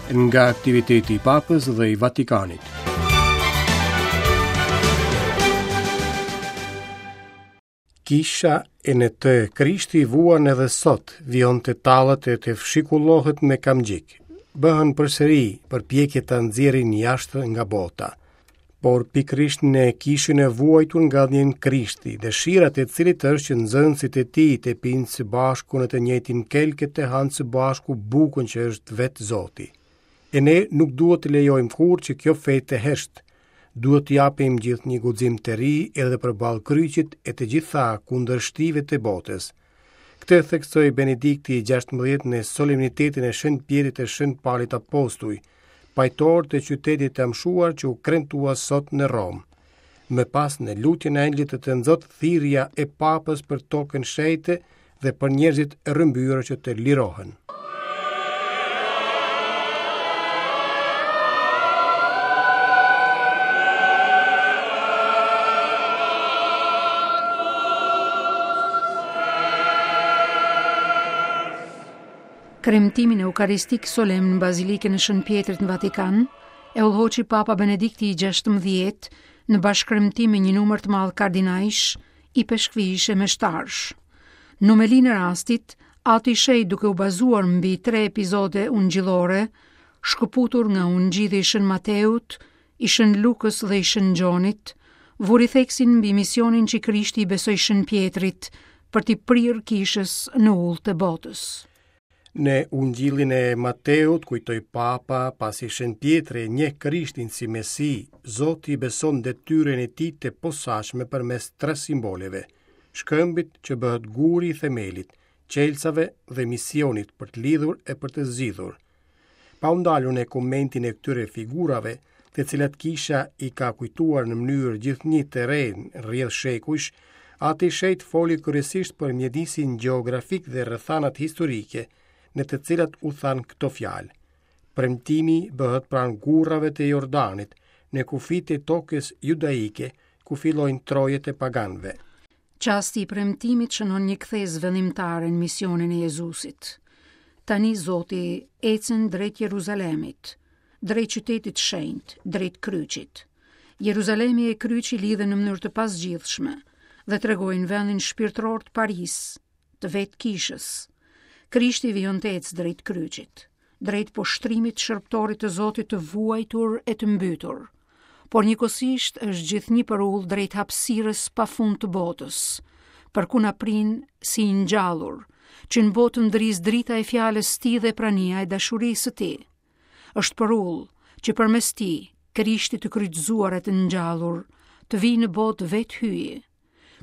Nga aktiviteti i Papës dhe i Vatikanit. Kisha e në të Krishti vuan edhe sot, vijon të tallet e të fshikullohet me kamxhik. Bëhen përsëri përpjekje ta nxjerrin jashtë nga bota. Por pikërisht në kishën e vuajtur ngadhënjen Krishti, dëshira e të cilit është që nxënësit e tij të pinë së bashku në të njëjtin kelk e të hanë së bashku bukën që është vetë Zoti. E ne nuk duhet të lejojmë kurrë që kjo fe të heshtë. Duhet të japim gjithnjë guxim të ri edhe përballë kryqit e të gjitha kundërshtive të botës. Këtë e theksoi Benedikti i 16 në solemnitetin e Shën Pjetrit e Shën Palit Apostuj, pajtorë të qytetit të amshuar që u kremtua sot në Romë. Më pas në lutjen e Engjëllit të Tënzot thirrja e Papës për tokën shenjte dhe për njerëzit e rrëmbyer që të lirohen. Kremtimin eukaristik solemn në Bazilikën e Shën Pjetrit në Vatikan, e udhëhoqi Papa Benedikti i 16 në bashkëkremtim me një numër të madh kardinajsh, ipeshkvijsh e meshtarësh. Në homelinë e rastit, Ati i Shenjtë duke u bazuar mbi tre epizode ungjillore, shkëputur nga Ungjilli i Shën Mateut, i Shën Lukës dhe i Shën Gjonit, vuri theksin mbi misionin që Krishti i besoi Shën Pjetrit për t'i prirë kishës në udhët e botës. Në Ungjillin e Mateut kujtoi Papa, pasi Shën Pjetri e njeh Krishtin si Mesi, Zoti i beson detyrën e tij të posaçme përmes tre simboleve: shkëmbit që bëhet guri i themelit, çelësave dhe misionit për të lidhur e për të zgjidhur. Pa u ndalur në komentin e këtyre figurave, të cilat kisha i ka kujtuar në mënyrë gjithnjë të re në rrjedhë shekujsh, Ati i Shenjtë foli kryesisht për mjedisin gjeografik dhe rrethanat historike në të cilat u thanë këto fjalë. Premtimi bëhet pranë gurrave të Jordanit, në kufijtë e tokës judaike, ku fillojnë trojet e paganëve. Çasti i premtimit shënon një kthesë vendimtare në misionin e Jezusit. Tani Zoti ecën drejt Jeruzalemit, drejt qytetit të shenjtë, drejt kryqit. Jeruzalemi e kryqi lidhen në mënyrë të pazgjidhshme dhe tregojnë vendin shpirtëror të parisë, të vetë kishës. Krishti vijon të ecë drejt kryqit, drejt poshtrimit të shërbëtorit të Zotit të vuajtur e të mbytur. Por njëkohësisht është gjithnjë përulë drejt hapësirës pa fund të botës, për ku na prin si i ngjallur, që në botë ndrisë drita e fjalës së tij dhe prania e dashurisë së tij. Është përulë që përmes tij, Krishtit të kryqëzuar e të ngjallur, të vijë në botë vetë Hyji.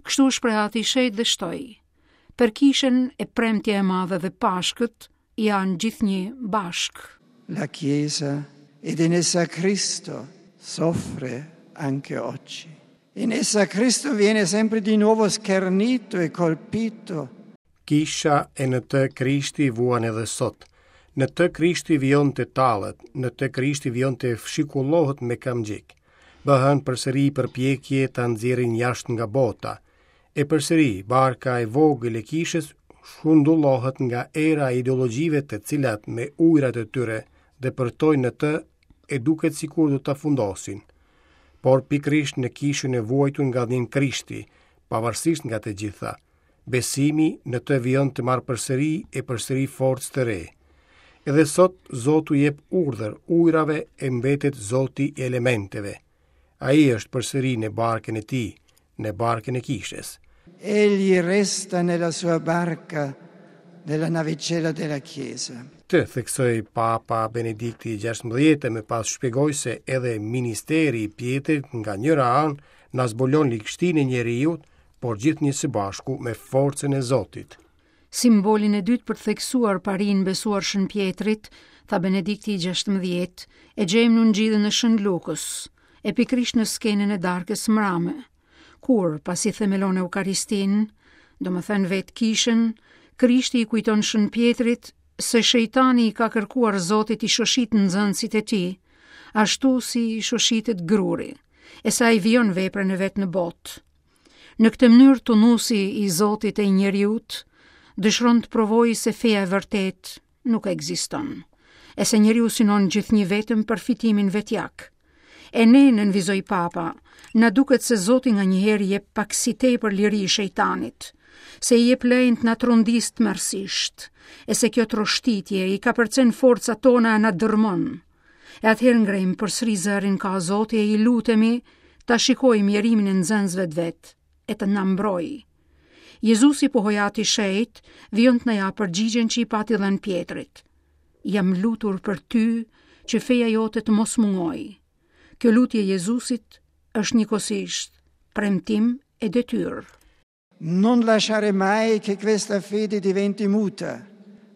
Kështu u shpreh Ati i Shenjtë dhe shtoi: Për kishën e premtja e madhe dhe Pashkët janë gjithnjë bashkë. La Chiesa ed in essa Cristo soffre anche oggi. In essa Cristo viene sempre di nuovo schernito e colpito. Kisha e në të Krishti vuan edhe sot. Në të Krishti vijon të tallet, në të Krishti vijon të fshikullohet me kamxhik. Bëhen përsëri përpjekje ta nxjerrin jashtë nga bota. E përsëri, barka e vogël e kishës shundullohet nga era e ideologjive të cilat me ujërat e tyre depërtojnë në të e duket sikur do ta fundosin. Por pikërisht në kishën e vuajtur ngadhënjen Krishti, pavarësisht nga të gjitha, Besimi në të vijon të marrë përsëri e përsëri forcë të re. Edhe sot Zoti u jep urdhër ujërave e mbetet Zoti i elementeve. Ai është përsëri në barkën e tij, në barkën e kishës. Egli resta nella sua barca, nella navicella della Chiesa. Këtë theksoi Papa Benedikti i 16 e më pas shpjegoi se edhe ministeri i Pjetrit nga njëra anë na zbulon ligështinë e njeriut, por gjithnjë së bashku me forcën e Zotit. Simbolin e dytë për të theksuar parinë besuar Shën Pjetrit, tha Benedikti i 16, e gjejmë në Ungjillin e Shën Lukës, e pikërisht në skenën e darkës së mrame, kur, pasi themelon Eukaristinë, domethënë vetë kishën, Krishti i kujton Shën Pjetrit se shejtani i ka kërkuar Zotit t'i shoshitë nxënësit e tij, ashtu si shoshitet gruri, e se ai vijon veprën e vet në botë. Në këtë mënyrë tunusi i Zotit e i njeriut dëshiron të provojë se feja e vërtetë nuk ekziston. e se njeriu synon gjithnjë vetëm përfitimin vetjak. E ne, nënvizoi Papa, na duket se Zoti nganjëherë i jep pak si tepër liri shejtanit, se i jep lejen të na trondisë tmerrësisht, e se kjo troshtitje i kapërcen forcat tona e na dërrmon. E atëherë ngrejmë përsëri zërin ka Zoti e i lutemi ta shikojë mjerimin e nxënësve të vet e të na mbrojë. Jezusi pohoi Ati i Shenjtë, vijon të na japë përgjigjen që i pati dhënë Pjetrit. Jam lutur për ty që feja jote të mos mungojë. Kjo lutje e Jezusit është njëkohësisht premtim e detyrë. Non lasciare mai che questa fede diventi muta,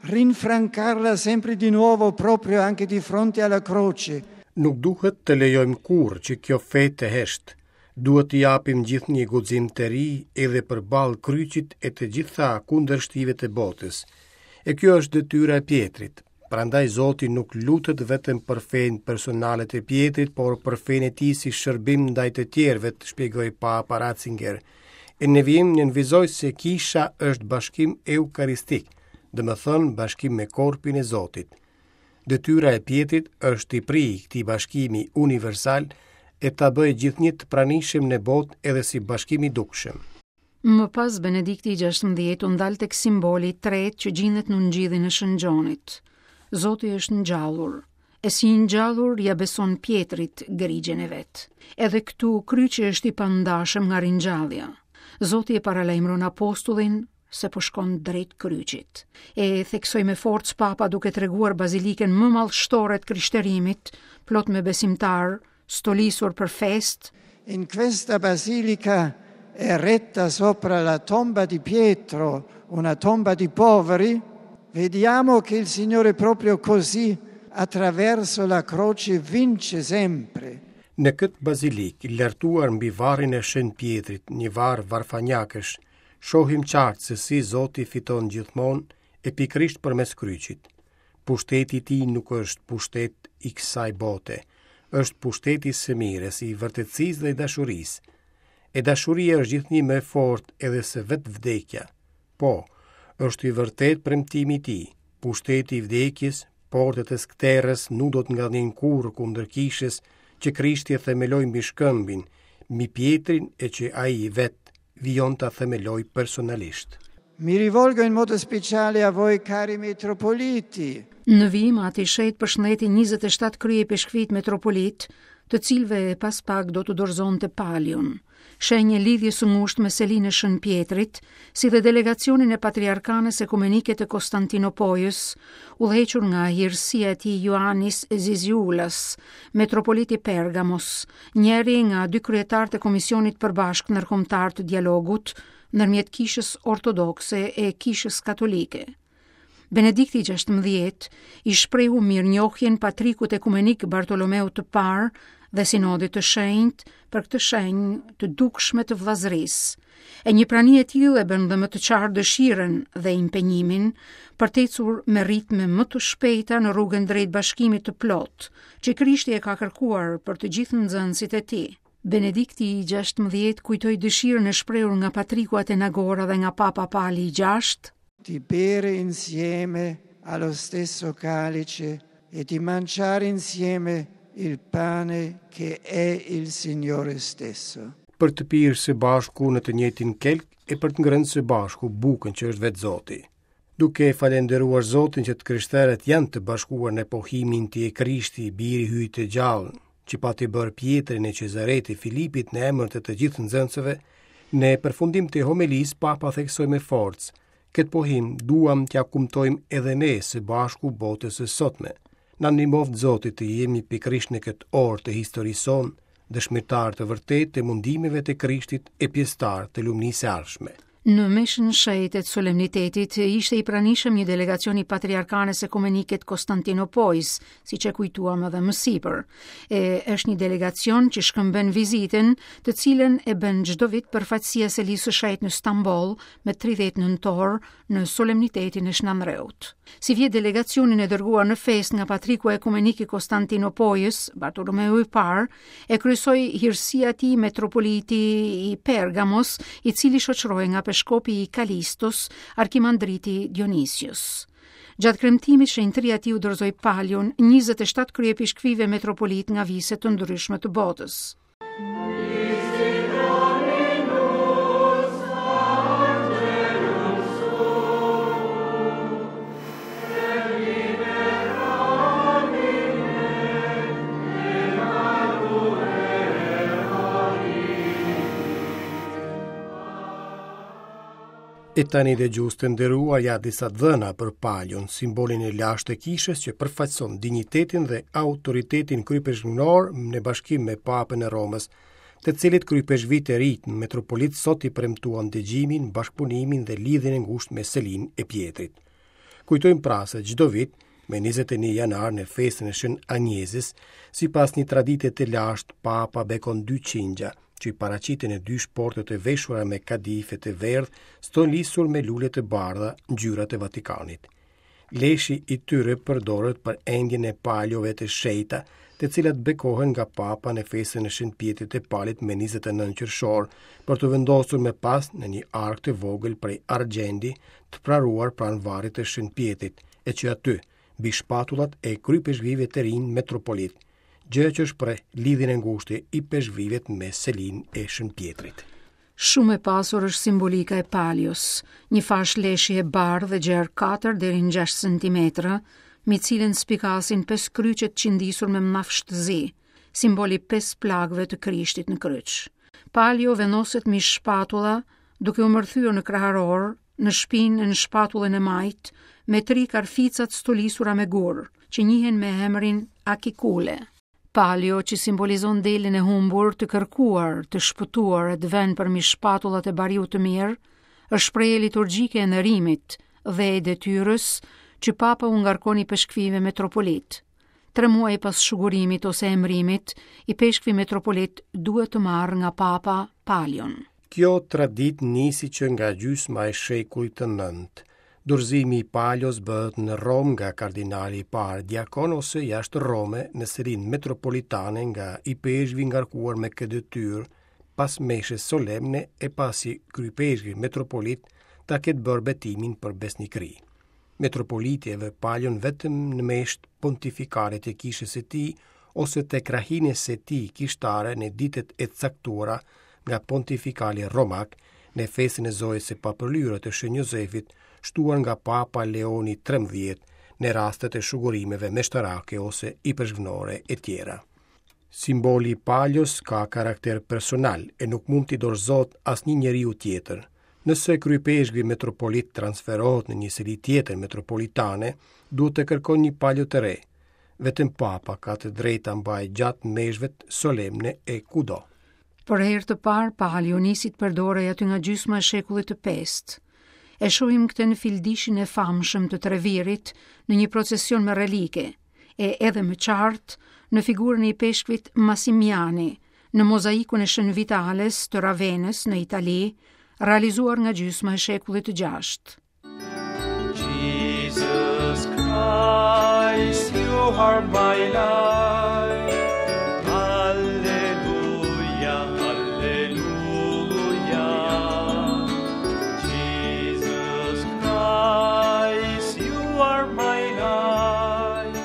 rinfrancarla sempre di nuovo proprio anche di fronte alla croce. Nuk duhet të lejojmë kurrë që kjo fe të heshtë. Duhet t'i japim gjithnjë guxim të ri edhe përballë kryqit e të gjitha kundërshtive të botës. E kjo është detyra e Pjetrit. Prandaj Zoti nuk lutet vetëm për fenë personale të Pjetrit, por për fenë e tij si shërbim ndaj të tjerëve, shpjegoi Papa Ratzinger. E në vijim nënvizoi se kisha është bashkim eukaristik, domethënë bashkim me korpin e Zotit. Detyra e Pjetrit është t'i prijë këtij bashkimi universal e ta bëjë gjithnjë të pranishëm në botë edhe si bashkim i dukshëm. Më pas Benedikti i 16 u ndal tek simboli i tretë që gjindet në Ungjillin e Shën Gjonit. Zoti është ngjallur, e si i ngjallur ia beson Pjetrit grigjen e vet. Edhe këtu kryqi është i pandashëm nga ringjallja. Zoti e paralajmëron apostullin se po shkon drejt kryqit. E theksoi me forcë Papa duke treguar bazilikën më madhështore të krishterimit, plot me besimtarë, stolisur për festë. In questa basilica eretta sopra la tomba di Pietro, una tomba di poveri, vediamo che il Signore proprio così attraverso la croce vince sempre. Në këtë bazilikë, lartuar mbi varrin e Shën Pjetrit, një varr varfanjakësh, shohim qartë se si Zoti fiton gjithmonë e pikërisht përmes kryqit. Pushteti i tij nuk është pushtet i kësaj bote, është pushteti i së mirës, i vërtetësisë dhe i dashurisë. E dashuria është gjithnjë më e fortë edhe se vetë vdekja. Po, është i vërtetë premtimi i tij, pushteti i vdekjes, portat e skëterrës nuk do të ngadhnjejnë kurrë kundër kishës që Krishti e themeloi mbi shkëmbin, mbi Pjetrin e që ai vetë vijon ta themelojë personalisht. Mi rivolgo in modo speciale a voi cari metropoliti. Në vijim Ati i Shenjtë përshëndeti 27 kryeipeshkvijtë metropolitë, të cilëve pas pak do t'u dorëzonte palion, shenjë e lidhjes së ngushtë me selinë e Shën Pjetrit, si dhe delegacionin e Patriarkanës Ekumenike të Konstantinopojës, udhëhequr nga Hirësia e Tij Ioannis Zizioulas, metropolit i Pergamos, njëri nga dy kryetarët e Komisionit të Përbashkët Ndërkombëtar të Dialogut ndërmjet Kishës Ortodokse e Kishës Katolike. Benedikti i 16 i shprehu mirënjohjen patrikut ekumenik Bartolomeut të Parë dhe Sinodit të Shenjtë për këtë shenjë të dukshme të vëllazërisë. E një prani e tillë e bën dhe më të qartë dëshirën dhe impenjimin për të ecur me ritme më të shpejta në rrugën drejt bashkimit të plotë, që Krishti e ka kërkuar për të gjithë nxënësit e tij. Benedikti i 16 kujtoi dëshirën e shprehur nga Patriku Atenagora dhe nga Papa Pali i VI. Di bere insieme allo stesso calice e di mangiare insieme il pane che è il Signore stesso. Për të pirë së bashku në të njëjtin kelk e për të ngrënë së bashku bukën që është vetë Zoti. Duke e falënderuar Zotin që të krishterët janë të bashkuar në pohimin ti je Krishti, biri i Hyjit të gjallë, që pati bërë Pjetri në Cezare të Filipit në emër të të gjithë nxënësve, në përfundim të homelisë Papa theksoi me forcë, këtë pohim duam t'ia kumtojmë edhe ne së bashku botës së sotme. Na ndihmoftë Zoti të jemi pikërisht në këtë orë të historisë sonë, dëshmitarë të vërtetë të mundimeve të Krishtit e pjesëtarë të lumnisë së ardhshme. Në meshën e shenjtë të solemnitetit ishte i pranishëm një delegacion i Patriarkanës Ekumenike të Konstantinopojës, siç e kujtuam edhe më sipër. E është një delegacion që shkëmben vizitën, të cilën e bën çdo vit përfaqësia e Selisë së Shenjtë në Stamboll me 30 nëntor në solemnitetin e Shën Andreut. Sivjet delegacionin e dërguar në festë nga Patriku Ekumenik i Konstantinopojës, Bartolomeu i Parë, e kryesoi hirësia e tij metropoliti i Pergamos, i cili shoqërohej nga. peshkopi i Kalistos, arkimandriti Dionisios. Gjatë kremtimit, shenjtëria e tij u dorëzoi palion 27 kryepeshkvijve metropolitë nga vise të ndryshme të botës. E tani dëgjues të nderuar ja disa të dhëna për palion, simbolin e lashtë të kishës që përfaqëson dinjitetin dhe autoritetin kryepeshkvnor në bashkim me Papën e Romës, të cilit kryepeshkvijtë e rinj metropolitë sot i premtuan dëgjimin, bashkëpunimin dhe lidhjen e ngushtë me Selinë e Pjetrit. Kujtojmë pra se çdo vit, me 21 janar në festën e Shën Anjezës, sipas një tradite të lashtë, Papa bekon dy qingja, që i paraqiten në dy shporte të veshura me kadife të verdhë, stolisur me lule të bardha, ngjyrat e Vatikanit. Leshi i tyre përdoret për endjen e paliove të shenjta, të cilat bekohen nga Papa në festën e Shën Pjetrit e Palit me 29 qershor, për t'u vendosur më pas në një arkë të vogël prej argjendi të praruar pranë varrit të Shën Pjetrit, e që aty, mbi shpatullat e kryepeshkvijve të rinj metropolitë, gjë që shpreh lidhjen e ngushtë të ipeshkvijve me selinë e Shën Pjetrit. Shumë e pasur është simbolika e palios, një fashë leshi e bardhë e gjerë 4 deri në 6 cm, mbi të cilën spikasin pesë kryqe të qëndisur me mllafsh të zi, simbol i pesë plagëve të Krishtit në kryq. Palio vendoset mbi shpatulla, duke u mbërthyer në kraharor, në shpinë e në shpatullën e majtë, me tri karfica të stolisura me gurë, që njihen me emrin Akikule. Palio që simbolizon delen e humbur, të kërkuar, të shpëtuar e të vënë përmbi shpatullat e bariut të mirë, është shprehje liturgjike e nderimit dhe e detyrës që Papa u ngarkon ipeshkvijve metropolitë. Tre muaj pas shugurimit ose emërimit, ipeshkvi metropolit duhet të marrë nga Papa palion. Kjo traditë nisi që nga gjysma e shekullit të nëntë. Dorëzimi i palios bëhet në Romë nga kardinali i parë diakon ose jashtë Rome në selinë metropolitane nga ipeshkvi i ngarkuar me këtë detyrë pas meshës solemne e pasi kryepeshkvi metropolit ta ketë bërë betimin për besnikëri. Metropoliti e vë palion vetëm në meshët pontifikale të kishës së tij ose të krahinës së tij kishtare në ditët e caktuara nga pontifikali romak në festën e Zojës së Papërlyer të Shën Jozefit, shtuar nga Papa Leoni XIII në rastet e shugurimeve meshtarake ose ipeshkvnore e tjera. Simboli i palios ka karakter personal e nuk mund t'i dorëzohet asnjë njeriu tjetër. Nëse kryepeshkvi metropolit transferohet në një seli tjetër metropolitane, duhet të kërkojë një palio të re. Vetëm Papa ka të drejtë ta mbajë gjatë meshëve solemne e kudo. Për herë të parë, palio nisi të përdorej aty nga gjysma e shekullit të pestë. E shohim këtë në fildishin e famshëm të Trevirit në një procesion me relike, e edhe më qartë në figurën e ipeshkvit Masimiani, në mozaikun e Shën Vitales të Ravenës në Itali, realizuar nga gjysma e shekullit të gjashtë. Jesus Christ, you are my light. Alleluia, alleluia. Jesus Christ, you are my light.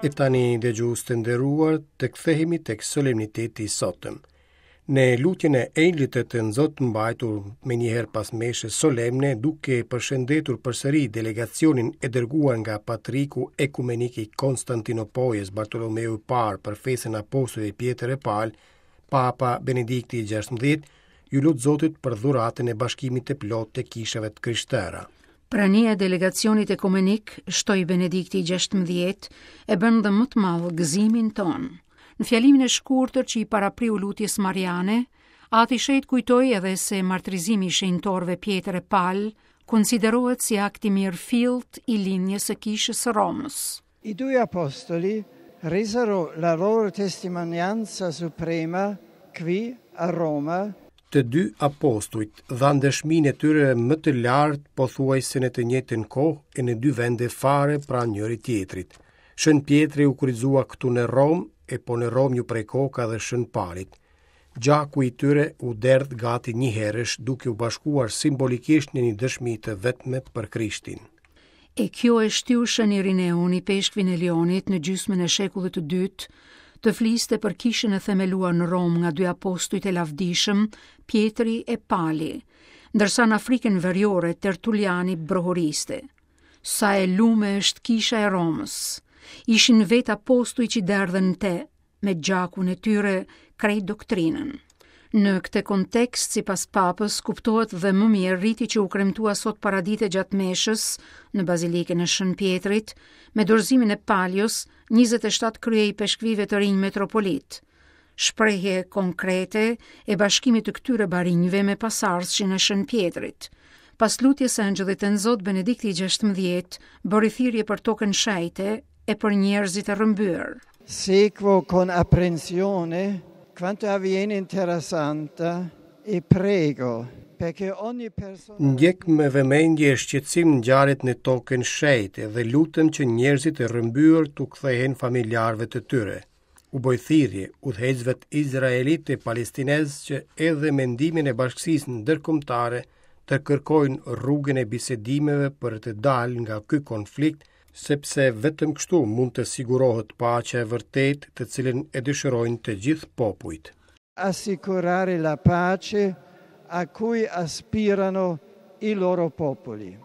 E tani dëgjues të nderuar, të kthehemi tek solemniteti i sotëm. Në lutjen e Engjëllit të Tënzot mbajtur menjëherë pas meshës solemne, duke përshëndetur përsëri delegacionin e dërguar nga Patriku Ekumenik i Konstantinopojës Bartolomeu i Parë për festën e apostujve Pjetër e Pal, Papa Benedikti XVI iu lut Zotit për dhuratën e bashkimit të plotë të kishave të krishtera. Prania e delegacionit ekumenik, shtoi Benedikti XVI, e bën dhe më të madh gëzimin tonë. Në fjalimin e shkurtër që i parapriu lutjes mariane, Ati i Shenjtë kujtoi edhe se martirizimi i shenjtorëve Pjetër e Pal konsiderohet si akt i mirëfilltë i linjës së Kishës së Romës. I due apostoli resero la loro testimonianza suprema qui a Roma Të dy apostujt dhanë dëshminë e tyre më të lartë pothuajse në të njëjtën kohë e në dy vende fare pranë njëri-tjetrit. Shën Pjetri u kryqëzua këtu në Romë e po në Romë iu pre koka dhe Shën Palit. Gjaku i tyre u derdh gati njëherësh duke u bashkuar simbolikisht në një dëshmi të vetme për Krishtin. E kjo e shtyu Shën Irineun, ipeshkvin e Lionit në gjysmën e shekullit të dytë, të fliste për kishën e themeluar në Romë nga dy apostujt e lavdishëm, Pjetri e Pali, ndërsa në Afrikën Veriore Tertuliani brohoriste. Sa e lume është kisha e Romës. Ishin vetë apostujt që derdhën në te, me gjakun e tyre krejt doktrinën. Në këtë kontekst, sipas Papës, kuptohet dhe më mirë riti që u kremtua sot paradite gjatë meshës në Bazilikën e Shën Pjetrit, me dorëzimin e palios 27 kryeipeshkvijve të rinj metropolitë. Shprehje konkrete e bashkimit të këtyre barinjve me pasardhësin e Shën Pjetrit. Pas lutjes së Engjëllit Tënzot, Benedikti i 16 bëri thirrje për tokën shenjte e për njerëzit e rrëmbyer. Seguo con apprensione quanto avviene in Terra Santa e prego perché ogni persona Ndjek me vëmendje e shqetësim ngjarjet në tokën shenjte dhe lutem që njerëzit e rrëmbyer t'u kthehen familjarëve të tyre. U bëj thirrje udhëheqësve izraelitë e palestinezë që edhe me ndihmën e bashkësisë ndërkombëtare të kërkojnë rrugën e bisedimeve për të dalë nga ky konflikt, sepse vetëm kështu mund të sigurohet paqja e vërtetë të cilën e dëshirojnë të gjithë popujt. Assicurare la pace a cui aspirano i loro popoli.